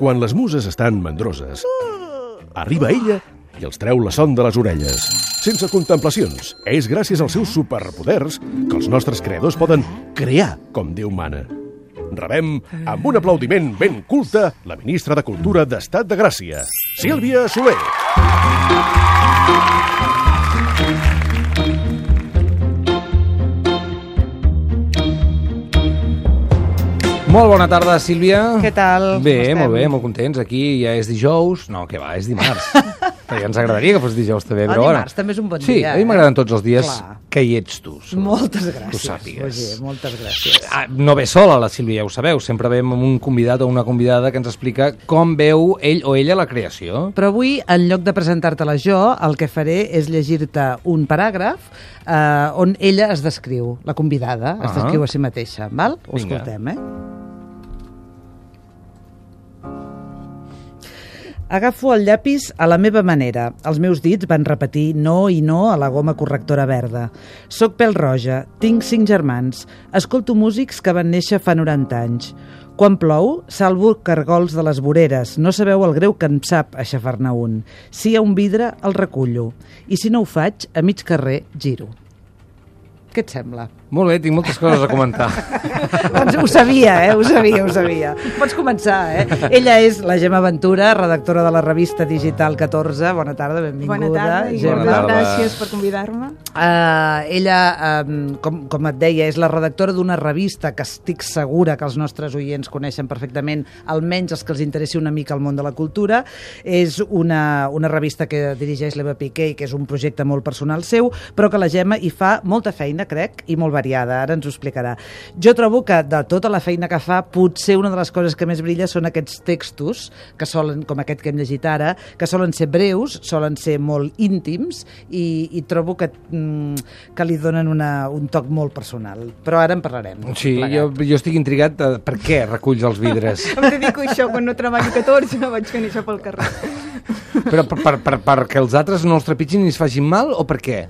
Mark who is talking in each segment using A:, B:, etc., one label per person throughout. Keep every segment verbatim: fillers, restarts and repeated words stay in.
A: quan les muses estan mandroses, arriba ella i els treu la son de les orelles. Sense contemplacions, és gràcies als seus superpoders que els nostres creadors poden crear com Déu mana. Rebem, amb un aplaudiment ben culte, la ministra de Cultura d'Estat de Gràcia, Sílvia Soler.
B: Molt bona tarda, Sílvia.
C: Què tal?
B: Bé, molt bé, molt contents. Aquí ja és dijous. No, què va, és dimarts. Perquè ens agradaria que fos dijous també, però
C: El dimarts també és un bon
B: sí,
C: dia.
B: Sí, a mi m'agraden tots els dies
C: Clar.
B: que hi ets tu.
C: Moltes gràcies.
B: Tu sàpigues.
C: Roger, moltes gràcies.
B: Ah, no ve sola la Sílvia, ja ho sabeu. Sempre ve amb un convidat o una convidada que ens explica com veu ell o ella la creació.
C: Però avui, en lloc de presentar-te-la jo, el que faré és llegir-te un paràgraf eh, on ella es descriu, la convidada, es
B: Ah.
C: descriu a si mateixa. Val? Ho
B: Vinga.
C: escoltem, eh? Agafo el llapis a la meva manera. Els meus dits van repetir no i no a la goma correctora verda. Soc pèl roja, tinc cinc germans, escolto músics que van néixer fa noranta anys. Quan plou, salvo cargols de les voreres. No sabeu el greu que em sap aixafar-ne un. Si hi ha un vidre, el recullo. I si no ho faig, a mig carrer, giro. Què et sembla?
B: Molt bé, tinc moltes coses a comentar.
C: Doncs ho sabia, eh? Ho sabia, ho sabia. Pots començar, eh? Ella és la Gemma Ventura, redactora de la revista digital catorze. Bona tarda, benvinguda.
D: Bona tarda i
B: Gemma.
D: moltes
B: Bona tarda.
D: gràcies per convidar-me.
C: Uh, ella, um, com, com et deia, és la redactora d'una revista que estic segura que els nostres oients coneixen perfectament, almenys els que els interessi una mica el món de la cultura. És una, una revista que dirigeix l'Eva Piqué i que és un projecte molt personal seu, però que la Gemma hi fa molta feina, crec, i molt variada. Ara ens ho explicarà. Jo trobo que de tota la feina que fa, potser una de les coses que més brilla són aquests textos, que solen, com aquest que hem llegit ara, que solen ser breus, solen ser molt íntims i, i trobo que, mm, que li donen una, un toc molt personal. Però ara en parlarem.
B: Sí, jo, jo estic intrigat de per què reculls els vidres.
D: Em dedico a això, quan no treballo catorze, vaig fent això pel carrer.
B: Però per, per, per, perquè els altres no els trepitgin i es facin mal o per què?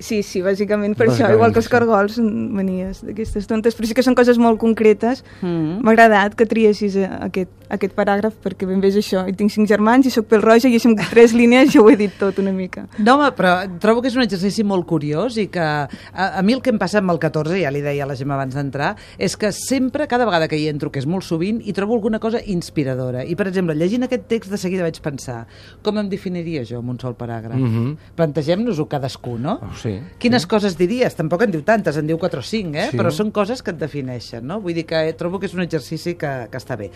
D: Sí, sí, bàsicament per
B: Bàsicament,
D: això, igual que els
B: sí.
D: cargols, manies d'aquestes tontes, però sí que són coses molt concretes.
C: Mm.
D: M'ha agradat que triessis aquest, aquest paràgraf, perquè ben bé és això. I tinc cinc germans i soc pèl roja i així amb tres línies ja ho he dit tot una mica.
C: No, home, però trobo que és un exercici molt curiós i que a, a mi el que em passa amb el catorze, ja li deia a la Gemma abans d'entrar, és que sempre, cada vegada que hi entro, que és molt sovint, hi trobo alguna cosa inspiradora. I, per exemple, llegint aquest text de seguida vaig pensar, com em definiria jo amb un sol paràgraf?
B: Mhm.
C: Plantegem-nos-ho cadascú, no?
B: Oh, sí.
C: Quines
B: sí.
C: coses diries? Tampoc en diu tantes, en diu quatre o cinc, eh?
B: Sí.
C: Però són coses que et defineixen, no? Vull dir que eh, trobo que és un exercici que, que està bé.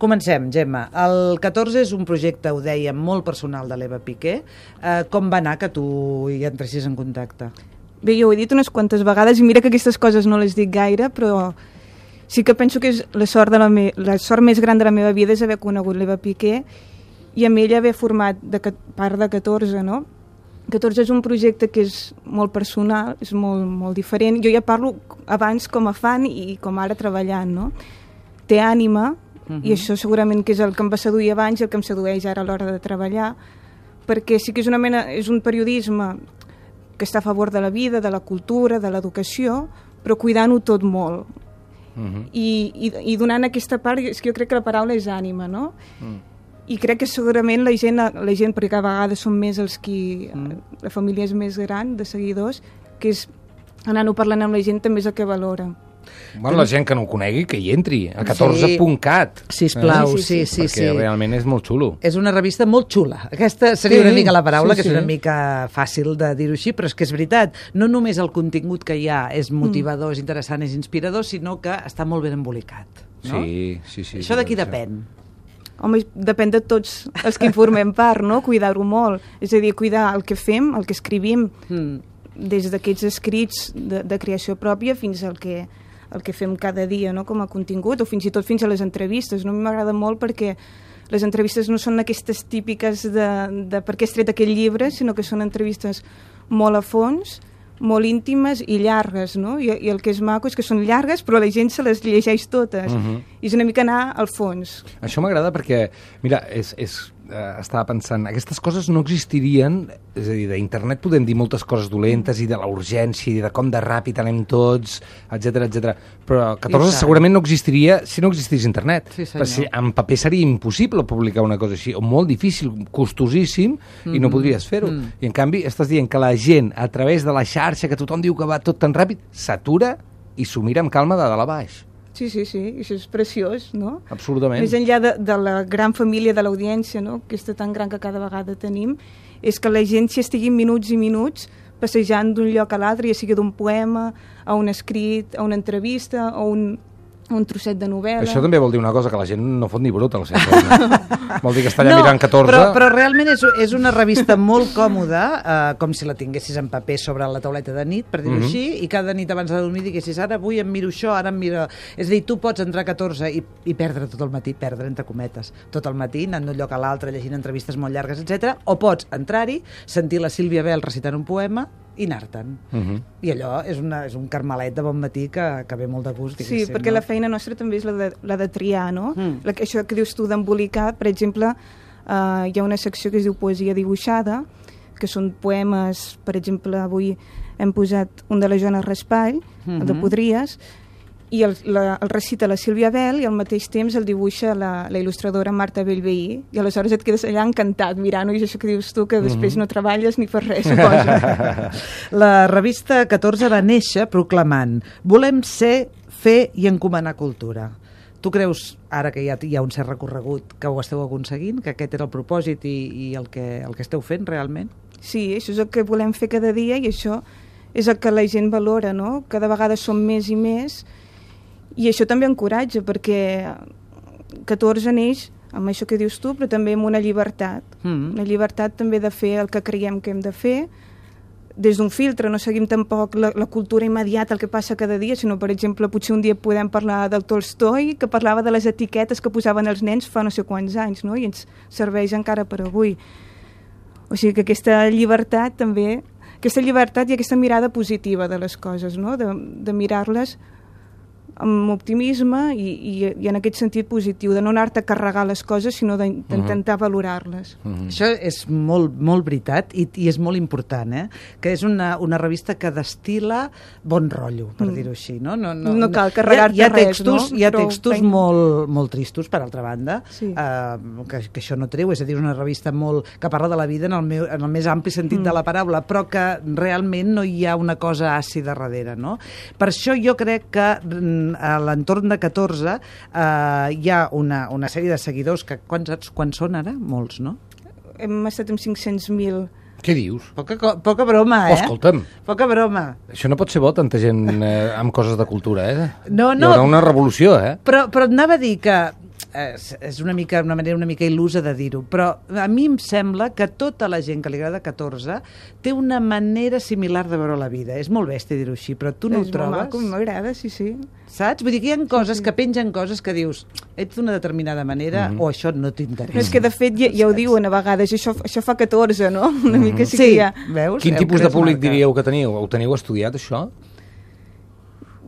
C: Comencem, Gemma. El catorze és un projecte, ho dèiem, molt personal de l'Eva Piqué. Eh, com va anar que tu hi entressis en contacte?
D: Bé, jo ho he dit unes quantes vegades i mira que aquestes coses no les dic gaire, però sí que penso que és la sort, de la, me la sort més gran de la meva vida és haver conegut l'Eva Piqué i amb ella haver format de part de catorze, no? catorze és un projecte que és molt personal, és molt, molt diferent. Jo ja parlo abans com a fan i com ara treballant, no? Té ànima, uh-huh. i això segurament que és el que em va seduir abans i el que em sedueix ara a l'hora de treballar, perquè sí que és una mena, és un periodisme que està a favor de la vida, de la cultura, de l'educació, però cuidant-ho tot molt. Uh-huh. I, i, I donant aquesta part, és que jo crec que la paraula és ànima, no? Uh-huh. I crec que segurament la gent, la gent perquè a vegades són més els qui... Mm. La família és més gran, de seguidors, que és anant-ho parlant amb la gent també és el que valora.
B: Bueno, la gent que no ho conegui, que hi entri, a catorze punt cat.
C: Sisplau,
B: eh?
C: sí, sí, sí.
B: Perquè
C: sí.
B: realment és molt xulo.
C: És una revista molt xula. Aquesta seria
B: Sí,
C: una mica la paraula,
B: sí,
C: que és
B: sí.
C: una mica fàcil de dir-ho així, però és que és veritat. No només el contingut que hi ha és motivador, és interessant, és inspirador, sinó que està molt ben embolicat. No?
B: Sí, sí, sí.
C: Això de qui
B: sí.
C: depèn?
D: Home, depèn de tots els que en formem part, no? Cuidar-ho molt. És a dir, cuidar el que fem, el que escrivim, mm. des d'aquests escrits de, de creació pròpia fins al que, el que fem cada dia, no? Com a contingut, o fins i tot fins a les entrevistes. No? A mi m'agrada molt perquè les entrevistes no són aquestes típiques de, de per què has tret aquell llibre, sinó que són entrevistes molt a fons, molt íntimes i llargues, no? I, i el que és maco és que són llargues, però la gent se les llegeix totes. Uh-huh. I és una mica anar al fons.
B: Això m'agrada perquè, mira, és, és, eh, estava pensant, aquestes coses no existirien, és a dir, d'internet podem dir moltes coses dolentes i de la urgència i de com de ràpid anem tots, etcètera, etcètera. Però catorze segurament no existiria si no existís internet.
C: Sí,
B: perquè si en paper seria impossible publicar una cosa així, o molt difícil, costosíssim, mm. i no podries fer-ho. Mm. I en canvi estàs dient que la gent, a través de la xarxa, que tothom diu que va tot tan ràpid, s'atura i s'ho mira amb calma de dalt a baix.
D: Sí, sí, sí, això és preciós, no?
B: Absolutament.
D: Més enllà de, de la gran família de l'audiència, no?, aquesta tan gran que cada vegada tenim, és que la gent s'hi estigui minuts i minuts passejant d'un lloc a l'altre, ja sigui d'un poema, a un escrit, a una entrevista, a un, a un trosset de novel·la.
B: Això també vol dir una cosa, que la gent no fot ni brut al centre. Vol dir que està allà no, mirant catorze...
C: Però, però realment és, és una revista molt còmoda, eh, com si la tinguessis en paper sobre la tauleta de nit, per dir-ho mm-hmm. així, i cada nit abans de dormir diguessis, ara avui em miro això, ara em miro... És a dir, tu pots entrar a catorze i, i perdre tot el matí, perdre entre cometes, tot el matí, anant d'un lloc a l'altre, llegint entrevistes molt llargues, etcètera. O pots entrar-hi, sentir la Sílvia Bel recitant un poema i anar-te'n. Uh-huh. I allò és, una, és un carmelet de bon matí que, que ve molt de gust.
D: Sí, perquè no? La feina nostra també és la de, la de triar, no? Mm. La, això que dius tu d'embolicar, per exemple, uh, hi ha una secció que es diu Poesia dibuixada, que són poemes, per exemple, avui hem posat un de la Joana Raspall, mm-hmm. el de Podries, i el, la, el recita la Sílvia Bel i al mateix temps el dibuixa la, la il·lustradora Marta Bellveí, i aleshores et quedes allà encantat mirant-ho, i això que dius tu, que després mm-hmm. no treballes ni fas res, suposo.
C: La revista catorze va néixer proclamant: volem ser, fer i encomanar cultura. Tu creus, ara que ja hi ha un cert recorregut, que ho esteu aconseguint, que aquest era el propòsit i, i el, que, el que esteu fent realment?
D: Sí, això és el que volem fer cada dia, i això és el que la gent valora, no? Cada vegada som més i més, i això també encoratja, perquè catorze neix amb això que dius tu, però també amb una llibertat. Mm. Una llibertat també de fer el que creiem que hem de fer, des d'un filtre, no seguim tampoc la, la cultura immediata, el que passa cada dia, sinó, per exemple, potser un dia podem parlar del Tolstoi, que parlava de les etiquetes que posaven els nens fa no sé quants anys, no? I ens serveix encara per avui. O sigui que aquesta llibertat també, aquesta llibertat i aquesta mirada positiva de les coses, no? De, de mirar-les amb optimisme i, i, i en aquest sentit positiu, de no anar-te a carregar les coses, sinó d'intentar uh-huh. valorar-les.
C: Uh-huh. Això és molt, molt veritat i, i és molt important, eh? Que és una, una revista que destila bon rotllo, per mm. dir-ho així. No, no, no,
D: no cal carregar-te
C: hi ha, hi ha textos,
D: res, no?
C: Hi ha textos molt, molt tristos, per altra banda,
D: sí.
C: uh, que, que això no treu, és a dir, una revista molt, que parla de la vida en el, meu, en el més ampli sentit mm. de la paraula, però que realment no hi ha una cosa àcida darrere, no? Per això jo crec que a l'entorn de catorze eh, hi ha una, una sèrie de seguidors que quants, quants són ara? Molts, no?
D: Hem estat amb cinc-cents mil.
B: Què dius?
C: Poca, poca broma, eh?
B: Oh, escolta'm.
C: Poca broma.
B: Això no pot ser bo, tanta gent eh, amb coses de cultura, eh?
C: No, no.
B: Hi haurà una revolució, eh?
C: Però, però et anava a dir que és una mica una manera una mica il·lusa de dir-ho, però a mi em sembla que tota la gent que li agrada catorze té una manera similar de veure la vida. És molt bèstia dir-ho així, però tu no
D: és
C: ho trobes?
D: És molt maco, m'agrada, sí, sí.
C: Saps? Vull dir que hi ha coses,
D: sí, sí.
C: que pengen coses que dius ets d'una determinada manera mm-hmm. o això no t'interessa.
D: És que de fet ja, ja ho diuen a vegades, això, això fa catorze, no? Una mm-hmm. mica sí, sí que ja...
C: Veus?
B: Quin tipus de públic marca. Diríeu que teniu? Ho teniu estudiat, això?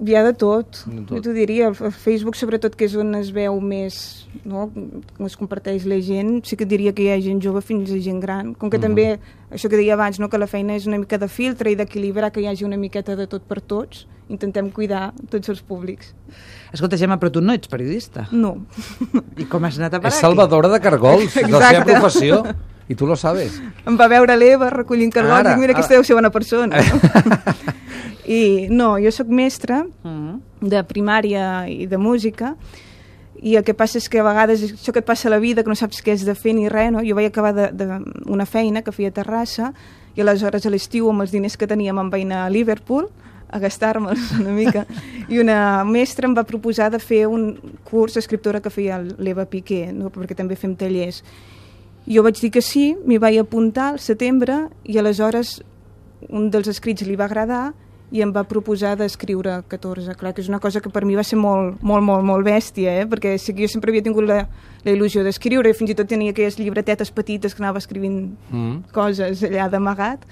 D: Hi ha de tot, de tot. Jo t'ho diria, el Facebook sobretot, que és on es veu més, no? On es comparteix la gent, sí que diria que hi ha gent jove fins a gent gran, com que mm-hmm. també, això que deia abans, no? Que la feina és una mica de filtre i d'equilibrar, que hi hagi una miqueta de tot per tots, intentem cuidar tots els públics.
C: Escolta, Gemma, però tu no ets periodista.
D: No.
C: I com has anat a parar
B: aquí? És salvadora de cargols, de la seva professió, i tu lo sabes.
D: Em va veure l'Eva recollint cargols i dic, mira, aquesta deu ser bona persona. No? I no, jo sóc mestra uh-huh. de primària i de música, i el que passa és que a vegades això que et passa a la vida, que no saps què has de fer ni res, no? Jo vaig acabar de, de una feina que feia a Terrassa, i aleshores a l'estiu amb els diners que teníem em vaig anar a Liverpool a gastar-me'ls una mica, i una mestra em va proposar de fer un curs d'escriptora que feia l'Eva Piqué, no? Perquè també fem tallers. Jo vaig dir que sí, m'hi vaig apuntar al setembre, i aleshores un dels escrits li va agradar i em va proposar d'escriure catorze. Clar que és una cosa que per mi va ser molt, molt, molt, molt bèstia, eh? Perquè sí que jo sempre havia tingut la, la il·lusió d'escriure, i fins i tot tenia aquelles llibretetes petites que anava escrivint mm. coses allà d'amagat,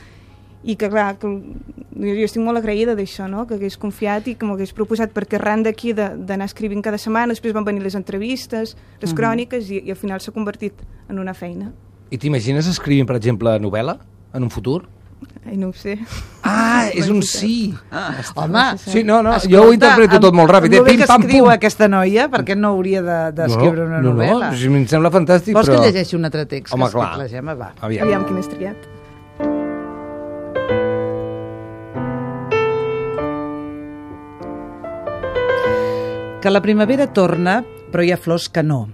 D: i que clar, que, jo, jo estic molt agraïda d'això, no? Que hagués confiat i que m'hagués proposat, perquè arran d'aquí d'anar escrivint cada setmana, després van venir les entrevistes, les cròniques, i, i al final s'ha convertit en una feina.
B: I t'imagines escrivint, per exemple, novel·la en un futur?
D: Ai, no ho sé.
B: Ah, és un sí.
C: Ah, home,
B: Sí, no, no,
C: escolta,
B: jo ho interpreto tot molt ràpid.
C: Amb el
B: Pim,
C: que
B: pam,
C: escriu
B: pum.
C: aquesta noia, per què no hauria d'escriure de, una
B: no,
C: novel·la?
B: No, no, si em sembla fantàstic,
C: Vols
B: però...
C: que llegeixi un altre text?
B: Home,
C: que ha escrit
B: clar.
C: La Gemma? Va.
B: Aviam.
D: Aviam quin has triat.
C: Que la primavera torna, però hi ha flors que no.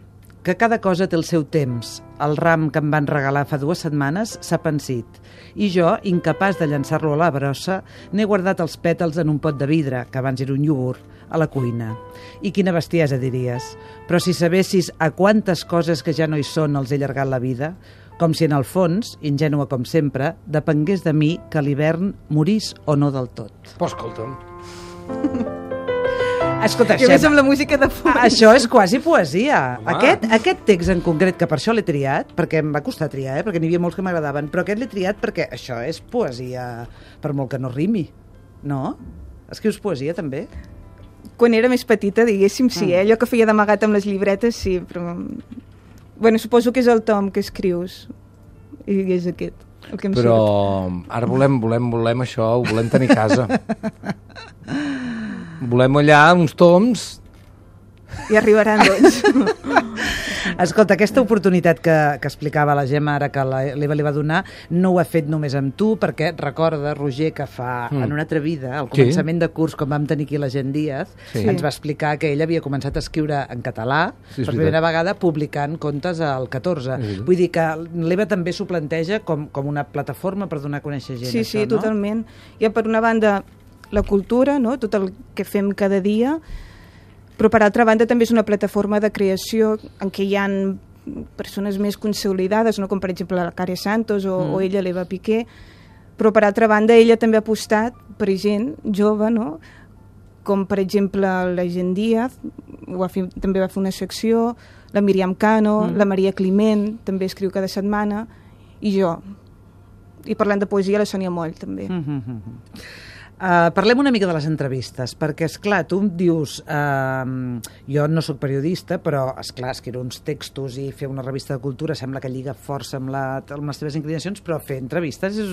C: Que cada cosa té el seu temps. El ram que em van regalar fa dues setmanes s'ha pensit. I jo, incapaç de llançar-lo a la brossa, n'he guardat els pètals en un pot de vidre, que abans era un iogurt, a la cuina. I quina bestiesa, diries. Però si sabessis a quantes coses que ja no hi són els he allargat la vida, com si en el fons, ingènua com sempre, depengués de mi que l'hivern morís o no del tot.
B: Però escolta'm.
C: Escolta,
D: I a més amb la música de fons.
C: això és quasi poesia.
B: Home.
C: Aquest, aquest text en concret, que per això l'he triat, perquè em va costar triar, eh, perquè n'hi havia molts que m'agradaven, però aquest l'he triat perquè això és poesia, per molt que no rimi, no? Escrius poesia, també?
D: Quan era més petita, diguéssim, sí, eh? Allò que feia d'amagat amb les llibretes, sí, però... Bueno, suposo que és el tom que escrius, i és aquest, el que em
B: Però
D: surt.
B: ara volem, volem, volem això, ho volem tenir a casa. Volem allà uns toms...
D: I arribaran, doncs.
C: Escolta, aquesta oportunitat que, que explicava la Gemma ara que l'Eva li va donar, no ho ha fet només amb tu, perquè recorda, Roger, que fa mm. en una altra vida, al començament sí. de curs, quan vam tenir aquí la Gent Díaz,
B: sí.
C: ens va explicar que ell havia començat a escriure en català,
B: sí,
C: per primera vegada publicant contes al catorze. Sí. Vull dir que l'Eva també s'ho planteja com, com una plataforma per donar a conèixer gent,
D: sí,
C: això,
D: sí,
C: no?
D: totalment. Hi ha, per una banda, la cultura, no? Tot el que fem cada dia, però per altra banda també és una plataforma de creació en què hi ha persones més consolidades, no? Com per exemple la Care Santos o, mm. o ella, l'Eva Piqué, però per altra banda ella també ha apostat per gent jove, no? Com per exemple la Gent Díaz, ho va fer, també va fer una secció, la Míriam Cano, mm. la Maria Climent, també escriu cada setmana, i jo. I parlant de poesia, la Sònia Moll, també.
C: Mm-hmm. Uh, parlem una mica de les entrevistes, perquè, esclar, tu em dius, uh, jo no sóc periodista, però, esclar, escriure uns textos i fer una revista de cultura sembla que lliga força amb, la, amb les teves inclinacions, però fer entrevistes és...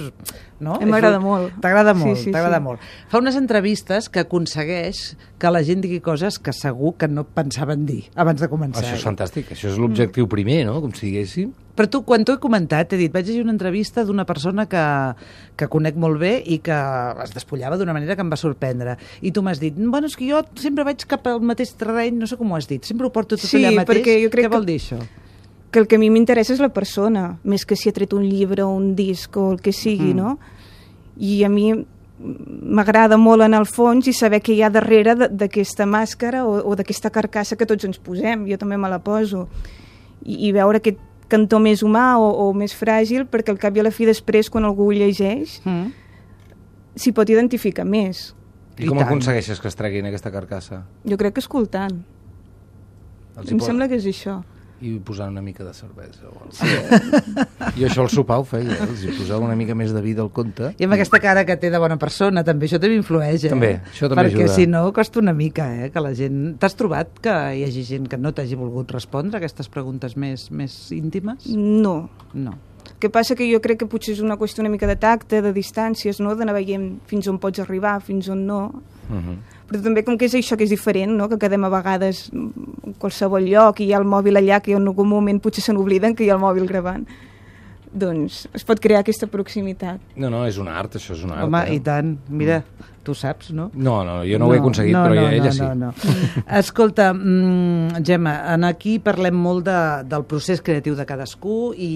C: No?
D: M'agrada molt.
C: T'agrada molt,
D: sí, sí,
C: t'agrada
D: sí.
C: molt. Fa unes entrevistes que aconsegueix que la gent digui coses que segur que no pensaven dir abans de començar.
B: Això és fantàstic, això és l'objectiu primer, no? Com si diguéssim.
C: Però tu, quan t'ho he comentat, t'he dit, vaig llegir una entrevista d'una persona que, que conec molt bé i que es despullava d'una manera que em va sorprendre. I tu m'has dit, bueno, és que jo sempre vaig cap al mateix terreny, no sé com ho has dit, sempre ho porto tot
D: sí,
C: allà mateix.
D: perquè jo crec
C: Què vol dir això?
D: Que el que a mi m'interessa és la persona, més que si ha tret un llibre o un disc o el que sigui, mm. no? I a mi m'agrada molt en el fons i saber què hi ha darrere d'aquesta màscara o, o d'aquesta carcassa que tots ens posem, jo també me la poso. I, i veure aquest cantó més humà o, o més fràgil, perquè al cap i a la fi després, quan algú ho llegeix, mm. s'hi pot identificar més.
B: I, I com tant. aconsegueixes que es treguin aquesta carcassa?
D: Jo crec que escoltant.
B: Els
D: em
B: pot...
D: sembla que és això.
B: I posant una mica de cervesa. O sí. Jo això al sopar ho feia, eh? Els hi posava una mica més de vida al conte.
C: I amb aquesta cara que té de bona persona, també, això també influeix, eh?
B: També, això també
C: perquè
B: ajuda.
C: Perquè si no, costa una mica, eh? Que la gent... T'has trobat que hi hagi gent que no t'hagi volgut respondre a aquestes preguntes més, més íntimes?
D: No.
C: No.
D: El que passa que jo crec que potser és una qüestió una mica de tacte, de distàncies, no? D'anar veient fins on pots arribar, fins on no. Uh-huh. Però també com que és això que és diferent, no? Que quedem a vegades en qualsevol lloc i hi ha el mòbil allà que en algun moment potser se n'obliden que hi ha el mòbil gravant. Doncs es pot crear aquesta proximitat.
B: No, no, és un art, això és un art.
C: Home,
B: eh?
C: i tant. Mira, tu saps, no?
B: No, no, jo no, no ho he aconseguit,
C: no,
B: però
C: no,
B: ella
C: no,
B: sí.
C: No, no. Escolta, mm, Gemma, aquí parlem molt de, del procés creatiu de cadascú i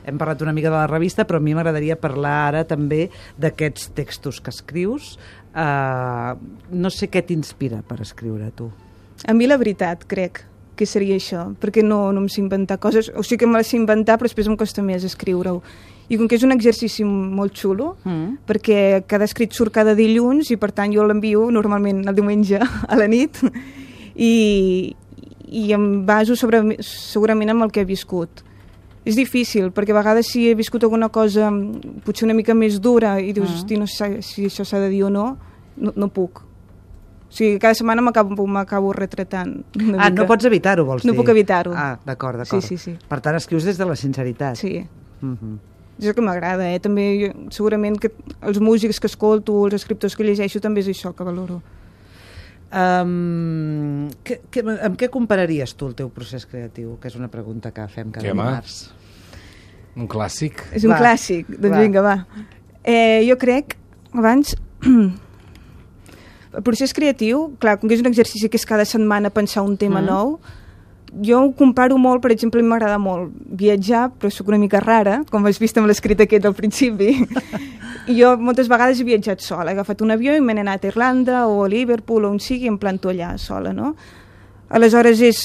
C: hem parlat una mica de la revista, però a mi m'agradaria parlar ara també d'aquests textos que escrius. Uh, no sé què t'inspira per escriure, tu.
D: A mi la veritat, crec que seria això, perquè no, no em sé inventar coses, o sigui que me les sé inventar, però després em costa més escriure-ho. I com que és un exercici molt xulo, mm. perquè cada escrit surt cada dilluns i per tant jo l'envio normalment el diumenge a la nit i, i em baso sobre, segurament amb el que he viscut. És difícil, perquè a vegades si he viscut alguna cosa potser una mica més dura i dius, uh -huh. hosti, no sé si això s'ha de dir o no, no, no puc. O sigui, cada setmana m'acabo retratant.
C: Ah, no pots evitar-ho, vols dir?
D: No puc evitar-ho.
C: Ah, d'acord, d'acord.
D: Sí, sí, sí.
C: Per tant, escrius des de la sinceritat.
D: Sí.
C: Uh -huh.
D: És el que m'agrada, eh? També, jo, segurament que els músics que escolto, els escriptors que llegeixo, també és això que valoro.
C: Um, que, que, amb què compararies tu el teu procés creatiu? Que és una pregunta que fem cada dimarts.
B: Un clàssic.
D: És un va. clàssic, doncs va. vinga, va. Eh, jo crec, abans... El procés creatiu, clar, com que és un exercici que és cada setmana pensar un tema mm. nou, jo ho comparo molt, per exemple, m'agrada molt viatjar, però soc una mica rara, com has vist amb l'escrit aquest al principi. I jo moltes vegades he viatjat sola, he agafat un avió i m'he anat a Irlanda o a Liverpool o on sigui i em planto allà sola, no? Aleshores és...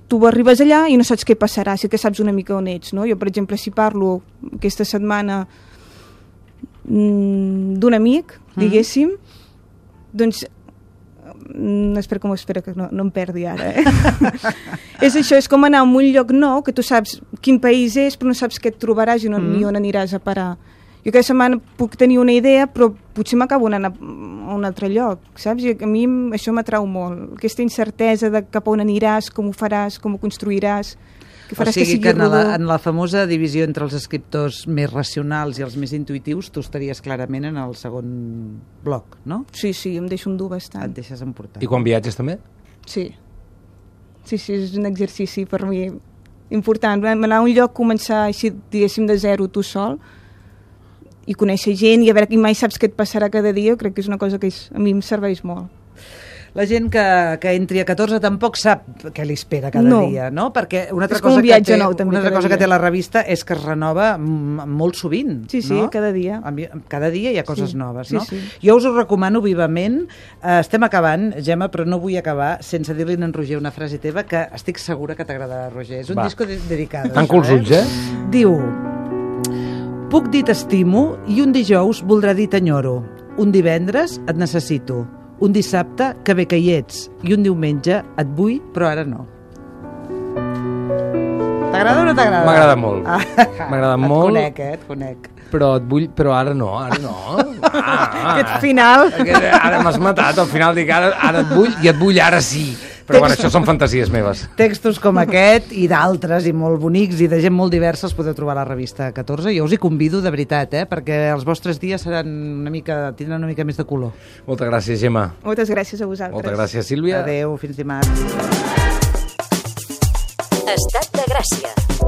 D: Tu arribes allà i no saps què passarà, sí que saps una mica on ets, no? Jo, per exemple, si parlo aquesta setmana mmm, d'un amic, mm. diguéssim, doncs mm, espera com espera que no, no em perdi ara eh? és això, és com anar a un lloc nou que tu saps quin país és però no saps què et trobaràs i no, mm. ni on aniràs a parar. Jo cada setmana puc tenir una idea però potser m'acabo anant a, a un altre lloc, saps? I a mi això m'atrau molt, aquesta incertesa de cap a on aniràs, com ho faràs, com ho construiràs, que faràs
C: o sigui
D: que sigui
C: que en
D: rodó.
C: la, en la famosa divisió entre els escriptors més racionals i els més intuitius tu estaries clarament en el segon bloc, no?
D: Sí, sí, em deixo endur bastant.
C: Et deixes emportar.
B: I quan viatges també?
D: Sí. Sí, sí, és un exercici per mi important. Anar a un lloc, començar així, diguéssim, de zero tu sol i conèixer gent i a veure, i mai saps què et passarà cada dia, crec que és una cosa que és, a mi em serveix molt.
C: La gent que, que entri a catorze tampoc sap què li espera cada
D: no.
C: dia, no? Perquè una altra
D: és com
C: cosa,
D: un viatge
C: que té,
D: nou, també,
C: una altra cosa
D: dia.
C: que té la revista és que es renova molt sovint.
D: Sí, sí,
C: no?
D: cada dia.
C: Cada dia hi ha coses
D: sí.
C: noves,
D: sí,
C: no?
D: Sí.
C: Jo us ho recomano vivament. Uh, estem acabant, Gemma, però no vull acabar sense dir-li a en Roger una frase teva que estic segura que t'agradarà, Roger. És un
B: Va.
C: disco de dedicat.
B: Tanco els ulls, eh?
C: Diu: puc dir t'estimo i un dijous voldrà dir t'enyoro. Un divendres et necessito. Un dissabte que bé que hi ets i un diumenge et vull, però ara no. T'agrada o no t'agrada?
B: M'agrada molt. Ah. M'agrada molt.
C: Et conec, eh? Et conec.
B: Però et vull, però ara no, ara no. Ah, ah,
D: Aquest final.
B: Ara m'has matat, al final dic ara, ara et vull i et vull ara sí. Però bueno, això són fantasies meves.
C: Textos com aquest i d'altres i molt bonics i de gent molt diversa els podeu trobar a la revista catorze. Jo us hi convido de veritat, eh? Perquè els vostres dies seran una mica, tindran una mica més de color.
B: Moltes gràcies, Gemma.
D: Moltes gràcies a vosaltres.
B: Moltes gràcies, Sílvia.
C: Adéu, fins dimarts.
E: Estat de Gràcia.